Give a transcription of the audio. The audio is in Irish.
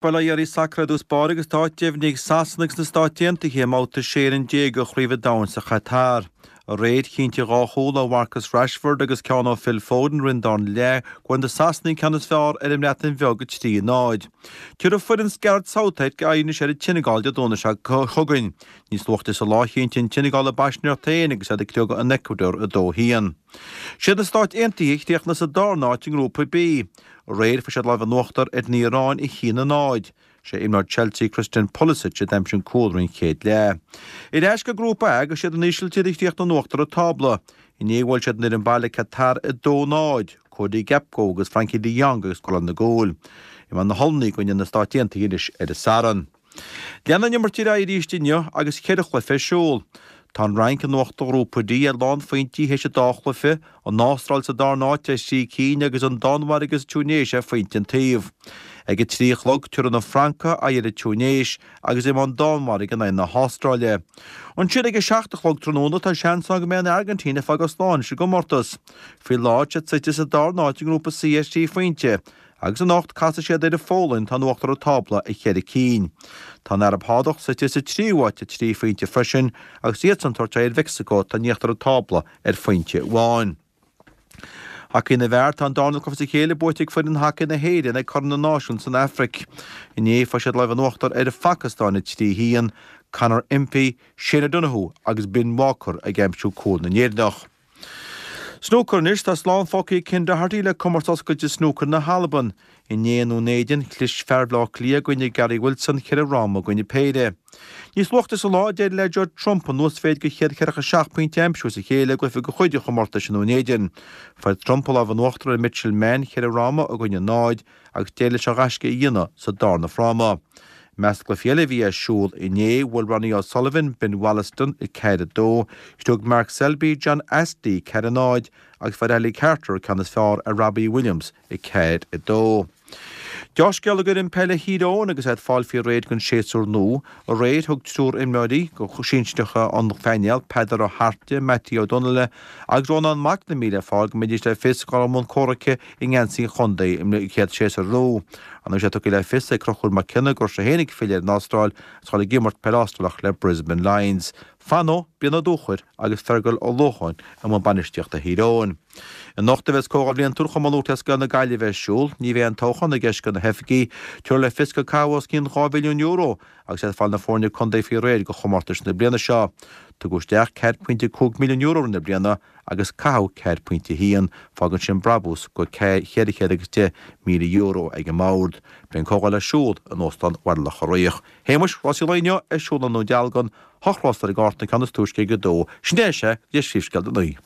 Bail ó Dhia oraibh sacar i dtús báire agus tá áit deimhnithe ag Sasana agus na Stáit Aontaithe i mbabhta 16 fhoireann de Chraobh an Domhain sa Chatar. Aréir, chinntigh dhá chúl ó Mharcus Rashford agus ceann ó Phil Foden roimh an darna leath go bhfuair na Sasanaigh an ceann is fearr ar an mBreatain Bheag 3-0. Tabharfaidh foireann Gareth Southgate aghaidh anois ar an tSeineagáil Dé Domhnaigh seo chugainn. Níos luaithe sa lá chinntigh an tSeineagáil a bpaisinéireacht féin agus iad ag criogadh an Ecuador 2-1. Siad na Stáit Aontaithe a chríochnaigh sa darna háit i nGrúpa B. Aréir fuair siad lámh in uachtar ar an Iaráin 1-0. Sé imreoir Chelsea Christian Pulisic a d'aimsigh an cúl roimh an chéad leath. Ar ais go Grúpa A agus siad an Ísiltír a chríochnaigh in uachtar an tábla. Inné bhuail siad an fhoireann baile Qatar 2-0, Cody Gakpo agus Frenkie de Jong ag scóráil na gcúil. Imreoidh na hOllannaigh i gcoinne na Stáit Aontaithe anois ar an Satharn. Leanfaidh an imirt ar aghaidh arís inniu agus cheithre chluiche ar siúl. Tá an Fhrainc in uachtar Ghrúpa D ar lánphointí théis an dá chluiche, an Astráil sa darna háit ar thrí cinn agus an Danmhairg agus an Túinéis ar phointe an taobh. Ag a 3 a chlog, tabharfaidh na Francaigh aghaidh ar an Túinéis agus imreoidh an Danmhairg in aghaidh na hAstráile. Ansin ag a 7 a chlog tráthnóna, tá seans ann go mbeidh an Airgintín ag fágáil slán leis an gcomórtas. Faoi láthair, tá siad suite sa darna háit i nGrúpa C ar thrí phointe. Agus anocht, casfaidh siad ar an Pholainn atá in uachtar an tábla ar cheithre cinn. Tá an Araib Shádach suite sa tríú háit ar thrí phointe freisin agus iadsan ag tabhairt aghaidh ar Mheicsiceo atá in íochtar an tábla ar phointe amháin. Hacaí na bhFear, Tá an darna cluiche as a chéile buaite ag foireann hacaí na hÉireann ag Corn na Náisiún san Afraic. Inné fuair siad lámh in uachtar ar an Phacastáin 3-1, Conor Impey, Shane O'Donoghue agus Ben Walker ag aimsiú cúl na nÉireannach. Snúcar Anois tá slán fágtha ag Ken Doherty le Comórtas Oscailte Snúcair na hAlban. Inné i nDún Éideann, chlis fear Bhaile Átha Cliath i gcoinne Gary Wilson cheithre fhráma i gcoinne péire. Níos luaithe sa lá, d'éirigh le Judd Trump an uasmhéid de 147 pointe a aimsiú as a chéile i gcluiche de chuid an chomórtais i nDún Éideann. Fuair Trump an lámh in uachtar ar Mitchell Mann cheithre fhráma i gcoinne náid agus d'éirigh leis an ghaisce a dhéanamh sa darna fráma. I measc na gcluichí eile a bhí ar siúl inné, bhuail Ronnie O'Sullivan Ben Woollaston 4-2, chriog Mark Selby John Astley 4-0 agus fuair Ali Carter an ceann is fearr ar Robbie Williams 4-2. Deá-scéala d'fhoireann peile Thír Eoghain agus iad ag fáil faoi réir don séasúr nua. Aréir thug triúr imreoirí sinsearacha an phainéil, Peadar Ó hAirte, Mattie Ó Donnaile agus Rónán McNamee le fáil go mbeidís le fios ag dul i mbun comhraic i ngeansaí an chontae i gcéad séasúr nua. Ar ndóigh tá sé tugtha le fios ag Conchúr Mac Cionnaith go raibh sé féin ag filleadh ar an Astráil agus dhul ag imirt peil Astrálach le Brisbane Lions. Fan, Brian Ó Dúchair agus Fergal Ó Lócháin i mbun bainistíochta Thír Eoghain. Anocht a bheas Comhdháil Bhliantúil Chumann Lúthchleas Gael na Gaillimhe ar siúl. Ní bheidh aon toghchán i gceist do na hoifigí. Tabharfar le fios gur caitheadh os cionn €2 mhilliún agus iad ag fáil na foirne contae faoi réir do chomórtais na bliana seo. Tugadh isteach €4.5 milliún i rith na bliana agus caitheadh 4.1, fágann sin brabús de €410,000 ag an mbord. Beidh an comhdháil ar siúl in Óstán Bhaile Locha Riach. Shéamuis, rásaí an lae inniu ar siúl i nDún Dealgan, hocht rás ar an gcárta, an ceann is túisce ag a dó. Sin é, sea, go dtí an príomhscéal don oíche.